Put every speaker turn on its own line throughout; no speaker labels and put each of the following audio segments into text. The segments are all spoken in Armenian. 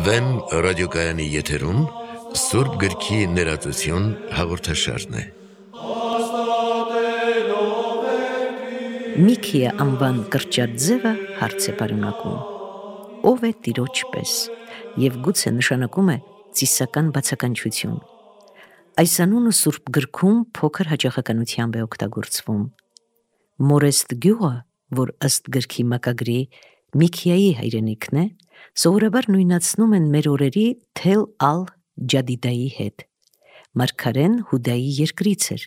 Վեն ռադիոկայանի եթերում Սուրբ գրքի ներածություն հաղորդաշարն է։
Միքիա անվան կրճատ ձևը հարց է պարունակում. ով է տիրոջ պես, և գուցե նշանակում է ծիսական բացականչություն։ Այս անունը Սուրբ գրքում փոքր հաճախականությամբ է օգտագործվում։ Մորեստ գյուղը, որ ըստ գրքի մակագրի Միքիայի հայրենիքն է, սովորաբար նույնացնում են մեր օրերի Թել ալ-Ջադիդայի հետ։ Մարգարեն Հուդայի երկրից էր,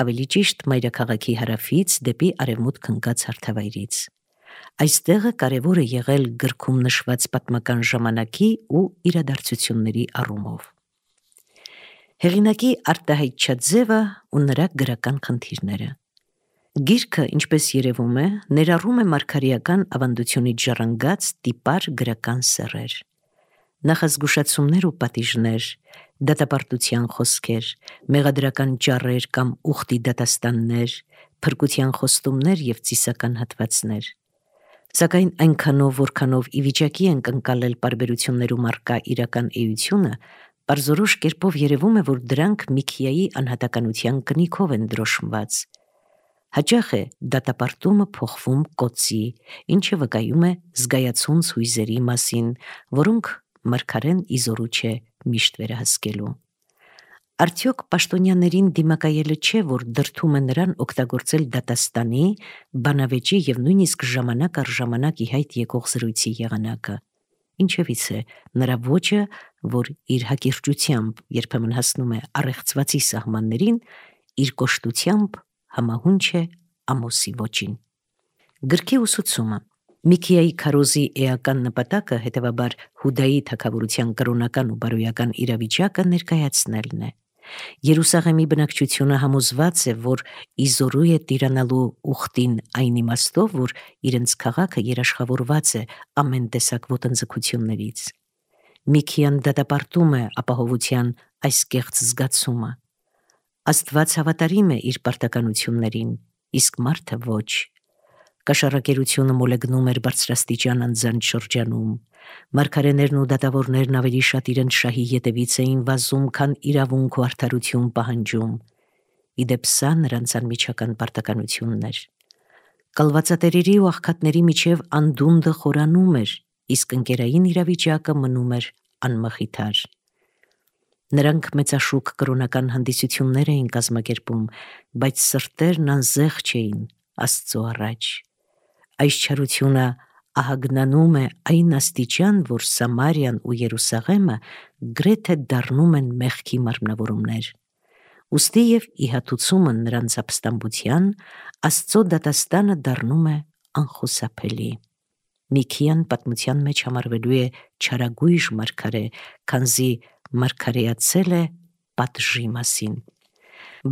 ավելի ճիշտ մայրաքաղաքի հարավից դեպի արևմուտք ընկած հարթավայրից։ Այս տեղը կարևոր է եղել գրքում նշված պատմական ժամանակի ու իրադարձությունների առումով։ Հեղինակի արտահայտչած ձևը ու նրա գրական խնդիրները։ Գիրքը, ինչպես երևում է, ներառում է մարգարեական ավանդությունից ժառանգած տիպար գրական սեռեր, նախազգուշացումներ ու պատիժներ, դատապարտության խոսքեր, մեղադրական ճառեր կամ ուխտի դատաստաններ, փրկության խոստումներ և ծիսական հատվածներ։ Սակայն այնքանով, որքանով ի վիճակի ենք ընկալել պարբերություններում առկա իրական էությունը, պարզորոշ կերպով երևում է, որ դրանք Միքիայի անհատականության կնիքով են դրոշմված։ Հաճախ է դատապարտումը փոխվում կոծի, ինչը վկայում է զգայացունց հույզերի մասին, որոնք մարգարեն իզորու չէ միշտ վերահսկելու։ Արդյոք պաշտոնյաներին դիմակայելը չէ, որ դրդում է նրան օգտագործել դատաստանի, բանավեճի և նույնիսկ ժամանակ առ ժամանակ ի հայտ եկող զրույցի եղանակը։ Ինչևից է նրա ոճը, որ իր հակիրճությամբ երբեմն հասնում է առեղծվածի սահմաններին, իր կոշտությամբ համահունչ է Ամոսի ոճին։ Գրքի ուսուցումը։ Միքիայի քարոզի էական նպատակը, հետևաբար, Հուդայի թագավորության կրոնական ու բարոյական իրավիճակը ներկայացնելն է։ Երուսաղեմի բնակչությունը համոզված է, որ իզորու է տիրանալու ուխտին այն իմաստով, որ իրենց քաղաքը երաշխավորված է ամեն տեսակ ոտնձգություններից։ Միքիան դատապարտում է ապահովության այս կեղծ զգացումը։ Աստված հավատարիմ է իր պարտականություններին, իսկ մարդը ոչ։ Կաշառակերությունը մոլեգնում էր բարձրաստիճան անձանց շրջանում։ Մարգարեներն ու դատավորներն ավելի շատ իրենց շահի ետևից էին վազում, քան իրավունք ու արդարություն պահանջում։ Ի դեպ, սա նրանց անմիջական պարտականությունն էր։ Կալվածատերերի ու աղքատների միջև անդունդը խորանում էր, իսկ ընկերային իրավիճակը մնում էր անմխիթար։ Նրանք մեծաշուք կրոնական հանդիսություններ էին կազմակերպում, բայց սրտերն անզեղ չէին Աստծո առաջ։ Այս չարությունը ահագնանում է այն աստիճան, որ Սամարիան ու Երուսաղեմը գրեթե դառնում են մեղքի մարմնավորումներ։ Ուստի և ի հատուցումը նրանց ապստամբության, Աստծո դատաստանը դառնում է անխուսափելի։ Միքիան պատմության մեջ համարվելու է չարագույժ մարգարե, քանզի մարգարեացել է պատժի մասին։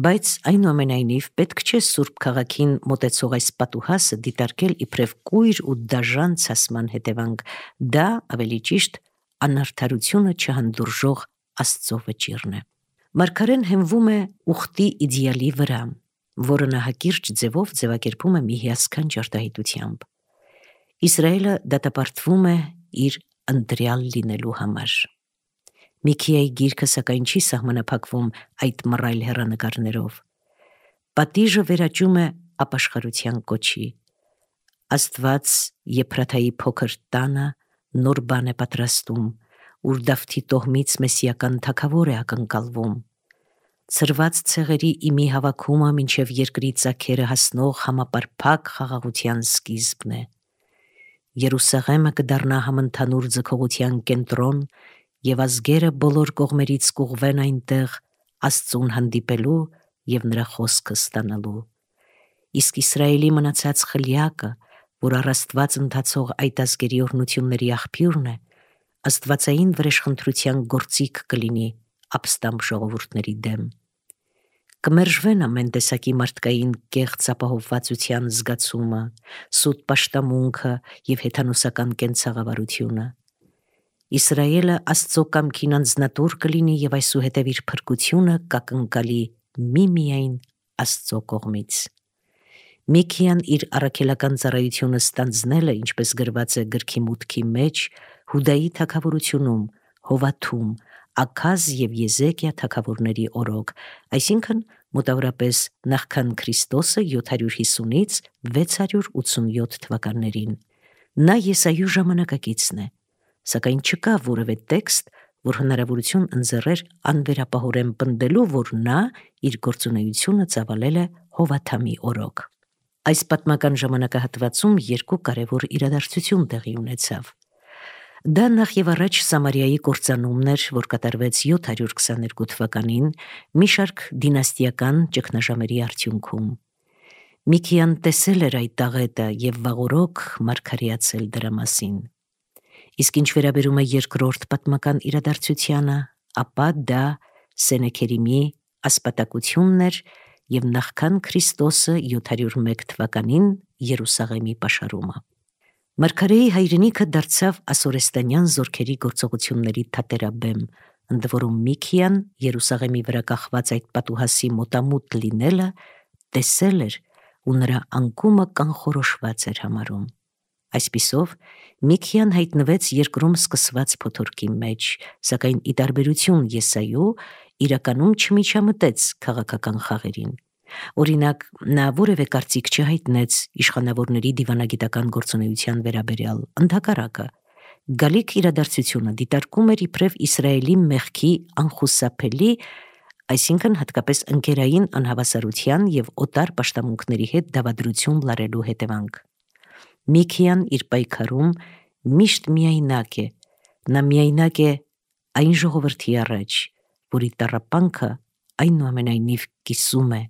Բայց այնուամենայնիվ պետք չէ Սուրբ քաղաքին մոտեցող այս պատուհասը դիտարկել իբրև կույր ու դաժան ցասման հետևանք, դա ավելի ճիշտ անարդարությունը չհանդուրժող Աստծո վճիռն է։ Մարգարեն հենվում է ուխտի իդեալի վրա, որը նա հակիրճ ձևով ձևակերպում է մի հիասքանչ արտահայտությամբ։ Իսրայելը դատապարտվում է իր ընտրյալ լինելու համար։ Միքիայի գիրքը սակայն չի սահմանափակվում այդ մռայլ հեռանկարներով։ Պատիժը վերաճում է ապաշխարության կոչի։ Աստված Եփրաթայի փոքր տանը նոր բան է պատրաստում, ուր Դավթի տոհմից մեսիական թագավոր է ակնկալվում։ Ցրված ցեղերի իմի հավաքումը մինչև երկրի ծագերը հասնող համապարփակ խաղաղության սկիզբն է։ Երուսաղեմը կդառնա համընդհանուր ձգողության կենտրոն, և ազգերը բոլոր կողմերից կուղղվեն այնտեղ Աստծուն հանդիպելու և նրա խոսքը ստանալու։ Իսկ Իսրայելի մնացած խլյակը, որ առ Աստված ընթացող այդ ազգերի օրհնությունների աղբյուրն է, աստվածային վրեժխնդրության գործիք կլինի ապստամբ ժողովուրդների դեմ։ Կմերժվեն ամեն տեսակի մարդկային կեղծ ապահովվածության զգացումը, սուտ պաշտամունքը և հեթանոսական կենցաղավարությունը։ Իսրայելը Աստծո կամքին անձնատուր կլինի և այսուհետև իր փրկությունը կակնկալի միմիայն Աստծո կողմից։ Միքիան իր առաքելական ծառայությունը ստանձնել է, ինչպես գրված է գրքի մուտքի մեջ, Հուդայի թագավորությունում, Հովաթում, Աքազ և Եզեկիա թագավորների օրոք, այսինքն մոտավորապես նախքան Քրիստոսը 750-ից 687 թվականներին։ Նա Եսայու ժամանակակիցն է, սակայն չկա որևէ տեքստ, որ հնարավորություն ընձեռեր անվերապահորեն պնդելու, որ նա իր գործունեությունը ծավալել է Հովաթամի օրոք։ Այս պատմական ժամանակահատվածում երկու կարևոր իրադարձություն տեղի ունեցավ։ Դա նախ եւ առաջ Սամարիայի կործանումն էր, որ կատարվեց 722 թվականին մի շարք դինաստիական ճգնաժամերի արդյունքում։ Միքիան տեսել էր այդ աղետը եւ վաղօրոք մարգարեացել դրա մասին։ Իսկ ինչ վերաբերում է երկրորդ պատմական իրադարձությանը, ապա դա Սենեքերիմի ասպատակությունն էր եւ նախքան Քրիստոսը 701 թվականին Երուսաղեմի պաշարումը։ Մարգարեի հայրենիքը դարձավ ասորեստանյան զորքերի գործողությունների թատերաբեմ, ընդ որում Միքիան Երուսաղեմի վրա կախված այդ պատուհասի մոտամուտ լինելը տեսել էր ու նրա անկումը կանխորոշված էր համարում։ Այսպիսով Միքիան հայտնվեց երկրում սկսված փոթորկի մեջ, սակայն ի տարբերություն Եսայու իրականում չմիջամտեց քաղաքական խաղերին։ Օրինակ, նա որևէ կարծիք չհայտնեց իշխանավորների դիվանագիտական գործունեության վերաբերյալ, ընդհակառակը, գալիք իրադարձությունը դիտարկում էր իբրև Իսրայելի մեղքի անխուսափելի, այսինքն հատկապես ընկերային անհավասարության եւ օտար պաշտամունքների հետ դավադրություն լարելու հետևանք։ Միքիան իր պայքարում միշտ միայնակ է, նա միայնակ է այն ժողովրդի առաջ, որի տառապանքը այնուամենայնիվ կիսում է,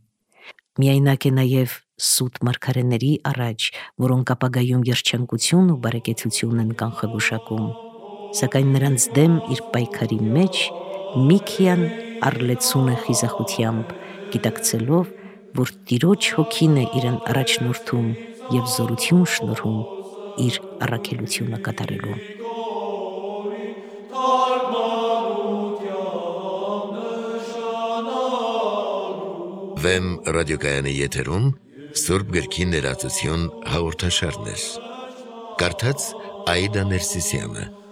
միայնակ է նաև սուտ մարգարեների առաջ, որոնք ապագայում երջանկություն ու բարեկեցություն են կանխագուշակում, սակայն նրանց դեմ իր պայքարի մեջ Միքիան առլեցուն է խիզախությամբ, գիտակցելով, որ Տիրոջ հոգին է իրեն առաջնորդում եւ զորություն շնորհում իր առաքելությունը կատարելու։
Վեմ ռադիոկայանի եթերում Սուրբ գրքի ներածություն հաղորդաշարներ։ Կարդաց Աիդա Ներսիսյանը։